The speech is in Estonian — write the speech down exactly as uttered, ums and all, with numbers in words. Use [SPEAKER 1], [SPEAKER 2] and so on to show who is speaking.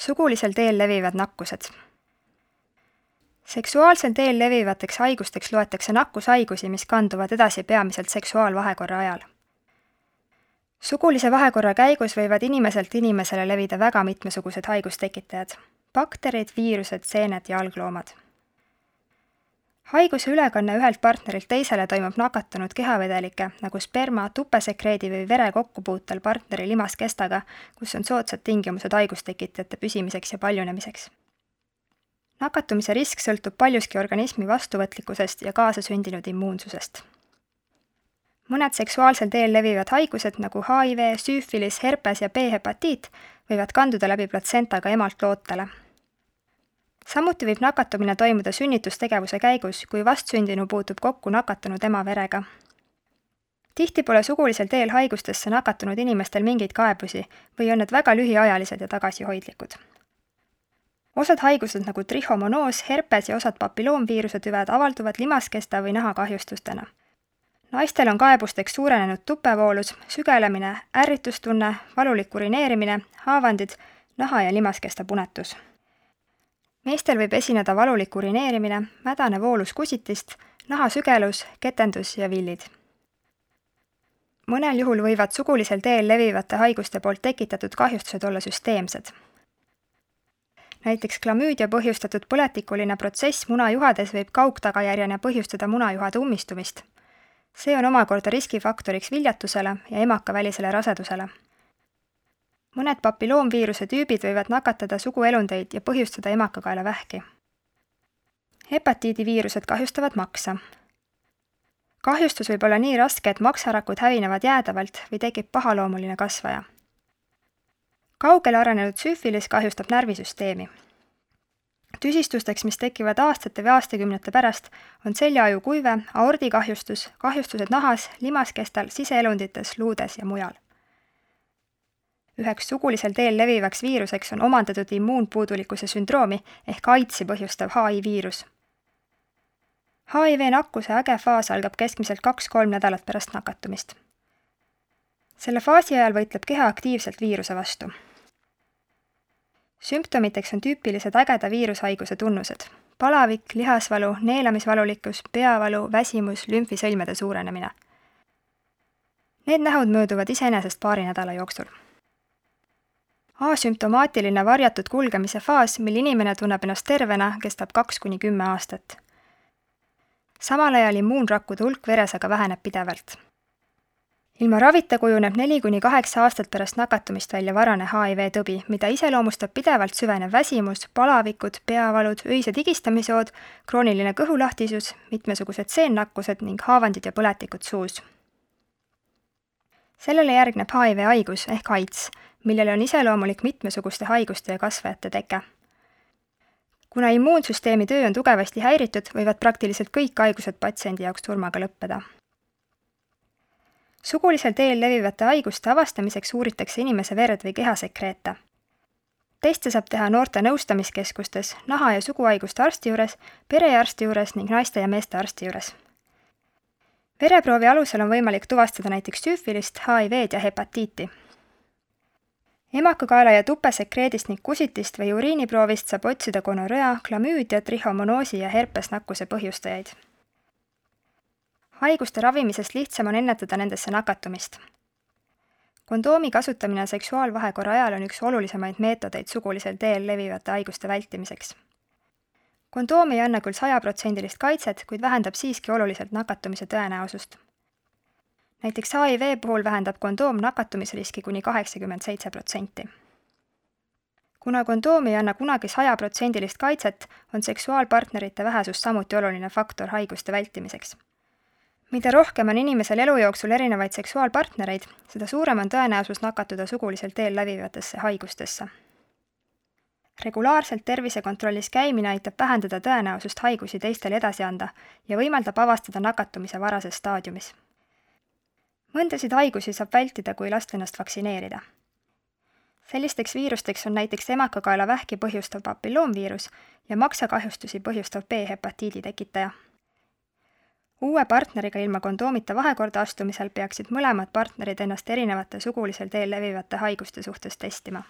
[SPEAKER 1] Sugulisel teel levivad nakkused. Seksuaalsel teel levivateks haigusteks loetakse nakkushaigusi, mis kanduvad edasi peamiselt seksuaalvahekorra ajal. Sugulise vahekorra käigus võivad inimeselt inimesele levida väga mitmesugused haigustekitajad: bakterid, viirused, seened ja algloomad. Haiguse ülekanne ühelt partnerilt teisele toimub nakatunud kehavedelike, nagu sperma, tupesekreedi või vere kokkupuutel partneri limaskestaga, kus on soodsad tingimused haigustekitajate püsimiseks ja paljunemiseks. Nakatumise risk sõltub paljuski organismi vastuvõtlikkusest ja kaasasündinud immuunsusest. Mõned seksuaalsel teel levivad haigused, nagu H I V, süüfilis, herpes ja B-hepatiit, võivad kanduda läbi platsentaga emalt lootele. Samuti võib nakatumine toimuda sünnitustegevuse käigus, kui vastsündinu puutub kokku nakatunud ema verega. Tihti pole sugulisel teel haigustesse nakatunud inimestel mingeid kaebusi või on need väga lühiajalised ja tagasihoidlikud. Osad haigused nagu trihomonoos, herpes ja osad papilloomviiruse tüved avalduvad limaskesta või nahakahjustustena. Naistel on kaebusteks suurenenud tupevoolus, sügelemine, ärritustunne, valulik urineerimine, haavandid, naha- ja limaskesta punetus. Meestel võib esineda valulik urineerimine, mädane voolus kusitist, nahasügelus, ketendus ja villid. Mõnel juhul võivad sugulisel teel levivate haiguste poolt tekitatud kahjustused olla süsteemsed. Näiteks klamüüdia põhjustatud põletikuline protsess munajuhades võib kaugtagajärjena põhjustada munajuhade ummistumist. See on omakorda riskifaktoriks viljatusele ja emakavälisele rasedusele. Mõned papilloomviiruse tüübid võivad nakatada suguelundeid ja põhjustada emakakaela vähki. Hepatiidiviirused kahjustavad maksa. Kahjustus võib olla nii raske, et maksarakud hävinevad jäädavalt või tekib pahaloomuline kasvaja. Kaugele arenenud süüfilis kahjustab närvisüsteemi. Tüsistusteks, mis tekivad aastate või aastakümnete pärast, on seljaaju kuive, aordikahjustus, kahjustused nahas, limaskestal, siseelundites, luudes ja mujal. Üheks sugulisel teel levivaks viiruseks on omandatud immuunpuudulikkuse sündroomi ehk AIDSi põhjustav H I viirus. H I V nakkuse äge faas algab keskmiselt kaks-kolm nädalat pärast nakatumist. Selle faasi ajal võitleb keha aktiivselt viiruse vastu. Sümptomiteks on tüüpilised ägeda viirushaiguse tunnused: palavik, lihasvalu, neelamisvalulikkus, peavalu, väsimus, lümfisõlmede suurenemine. Need nähud mööduvad iseenesest paari nädala jooksul. Asümptomaatiline varjatud kulgemise faas, mil inimene tunneb ennast tervena, kestab kaks kuni kümme aastat. Samal ajal immuunrakkude hulk veres aga väheneb pidevalt. Ilma ravita kujuneb neli kuni kaheksa aastat pärast nakatumist välja varane H I V tõbi, mida iseloomustab pidevalt süvenev väsimus, palavikud, peavalud, öised higistamisjood, krooniline kõhulahtisus, mitmesugused seennakkused ning haavandid ja põletikud suus. Sellele järgneb H I V haigus ehk AIDS, millele on iseloomulik mitmesuguste haiguste ja kasvajate teke. Kuna immuunsüsteemi töö on tugevasti häiritud, võivad praktiliselt kõik haigused patsiendi jaoks surmaga lõppeda. Sugulisel teel levivate haiguste avastamiseks uuritakse inimese verd või kehasekreete. Teste saab teha noorte nõustamiskeskustes, naha- ja suguhaiguste arsti juures, perearsti juures ning naiste ja meeste arsti juures. Vereproovi alusel on võimalik tuvastada näiteks süüfilist, H I V-d ja hepatiiti. Emakakaela ja tupesekreedist ning kusitist või uriiniproovist saab otsida gonorrea, klamüüdia, trihomonoosi ja herpesnakkuse põhjustajaid. Haiguste ravimisest lihtsam on ennetada nendesse nakatumist. Kondoomi kasutamine seksuaalvahekorra ajal on üks olulisemaid meetodeid sugulisel teel levivate haiguste vältimiseks. Kondoom ei anna küll sajaprotsendilist kaitset, kuid vähendab siiski oluliselt nakatumise tõenäosust. Näiteks H I V puhul vähendab kondoom nakatumisriski kuni kaheksakümmend seitse protsenti. Kuna kondoom ei anna kunagi sajaprotsendilist kaitset, on seksuaalpartnerite vähesus samuti oluline faktor haiguste vältimiseks. Mida rohkem on inimesel elu jooksul erinevaid seksuaalpartnereid, seda suurem on tõenäosus nakatuda sugulisel teel levivatesse haigustesse. Regulaarselt tervisekontrollis käimine aitab vähendada tõenäosust haigusi teistele edasi anda ja võimaldab avastada nakatumise varases staadiumis. Mõndasid haigusi saab vältida, kui lasta ennast vaktsineerida. Sellisteks viirusteks on näiteks emakakaela vähki põhjustav papilloomviirus ja maksakahjustusi põhjustav B-hepatiidi tekitaja. Uue partneriga ilma kondoomita vahekorda astumisel peaksid mõlemad partnerid ennast erinevate sugulisel teel levivate haiguste suhtes testima.